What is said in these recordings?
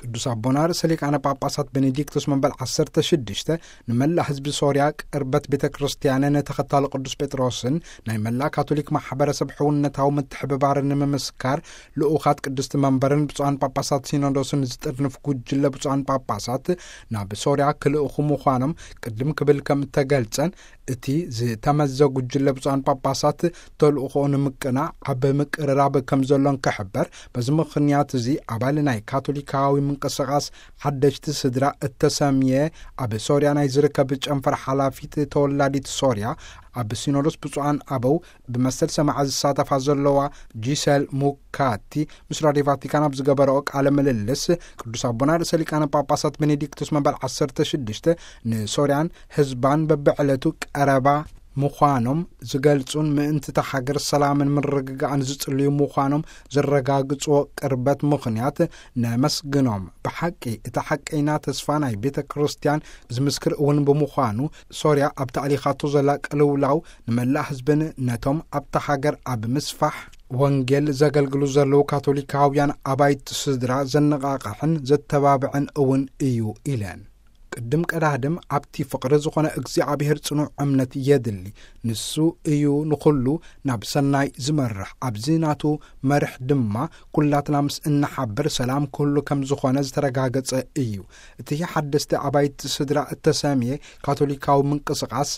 ቅዱስ ኣቦና ርእሰ ሊቃነ ጳጳሳት ቤኔዲክቶስ መበል ዓሰርተ ሽዱሽተ ንመላእ ህዝቢ ሶርያ፣ ቅርበት ቤተ ክርስቲያንን ተኸታሊ ቅዱስ ጴጥሮስን ናይ መላእ ካቶሊክ ማሕበረሰብ ሕውነታዊ ምትሕብባርን ንምምስካር፣ ልኡኻት ቅድስቲ መንበርን ብፁዓን ጳጳሳት ሲኖዶስን ዝጥርንፍ ጉጅለ ብፁዓን ጳጳሳት ናብ ሶርያ ክልእኹ ምዃኖም ቅድም ክብል ከም እተገልጸን፣ እቲ ዝተመዘ ጉጅለ ብፁዓን ጳጳሳት ተልእኾኡ ንምቅናዕ ኣብ ምቅርራብ ከም ዘሎን ክሕበር፣ በዚ ምኽንያት እዚ ኣባል ናይ ካቶሊካዊ ምንቅስቓስ ሓደሽቲ ስድራ እተሰምየ፣ ኣብ ሶርያ ናይ ዝርከብ ጨንፈር ሓላፊት ተወላዲት ሶርያ፣ ኣብ ሲኖዶስ ብፁዓን ኣበው ብመሰል ሰማዒ ዝሳተፋ ዘለዋ ጂሰል ሙካቲ ምስ ራድዮ ቫቲካን ኣብ ዝገበረኦ ቃለ ምልልስ፣ ቅዱስ ኣቦና ርእሰ ሊቃነ ጳጳሳት ቤኔዲክቶስ መበል ዓሰርተ ሽዱሽተ ንሶርያን ህዝባን በብዕለቱ ቀረባ ምዃኖም ዝገልጹን ምእንቲ እታ ሃገር ሰላምን ምርግጋእን ዝጽልዩ ምዃኖም ዘረጋግጽዎ ቅርበት ምኽንያት ነመስግኖም። ብሓቂ እቲ ሓቀይና ተስፋ ናይ ቤተ ክርስቲያን ዝምስክር እውን ብምዃኑ፣ ሶርያ ኣብ ተኣሊኻቶ ዘላ ቅልውላው ንመላእ ህዝብን ነቶም ኣብታ ሃገር ኣብ ምስፋሕ ወንጌል ዘገልግሉ ዘለዉ ካቶሊካውያን ኣባይቲ ስድራ ዘነቓቕሕን ዘተባብዕን እውን እዩ ኢለን። ቅድም ቀዳድም ኣብቲ ፍቕሪ ዝኾነ እግዚኣብሔር ጽኑዕ እምነት የድሊ። ንሱ እዩ ንኹሉ ናብ ሰናይ ዝመርሕ። ኣብዚ ናቱ መርሕ ድማ ኩላትና ምስ እንሓብር ሰላም ክህሉ ከም ዝኾነ ዝተረጋገጸ እዩ። እቲ ሓደስቲ ኣባይቲ ስድራ እተሰምየ ካቶሊካዊ ምንቅስቓስ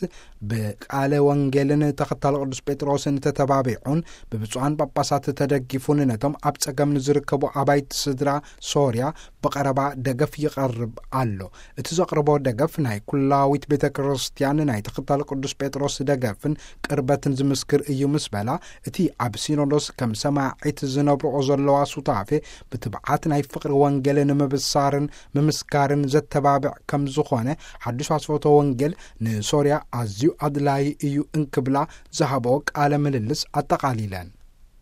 ብቃለ ወንጌልን ተኸታሊ ቅዱስ ጴጥሮስን ተተባቢዑን ብብፁዓን ጳጳሳት ተደጊፉን ነቶም ኣብ ጸገም ንዝርከቡ ኣባይቲ ስድራ ሶርያ ብቐረባ ደገፍ ይቐርብ ኣሎ። እቲ ዘቕርቦ ደገፍ ናይ ኩላዊት ቤተ ክርስቲያን ናይ ተኸታሊ ቅዱስ ጴጥሮስ ደገፍን ቅርበትን ዝምስክር እዩ ምስ በላ፣ እቲ ኣብ ሲኖዶስ ከም ሰማዒት ዝነብርኦ ዘለዋ ሱታፌ ብትብዓት ናይ ፍቕሪ ወንጌል ንምብሳርን ምምስካርን ዘተባብዕ ከም ዝኾነ፣ ሓድሽ ኣስፈቶ ወንጌል ንሶርያ ኣዝዩ ኣድላዪ እዩ እንክብላ ዝሃብኦ ቃለ ምልልስ ኣጠቓሊለን።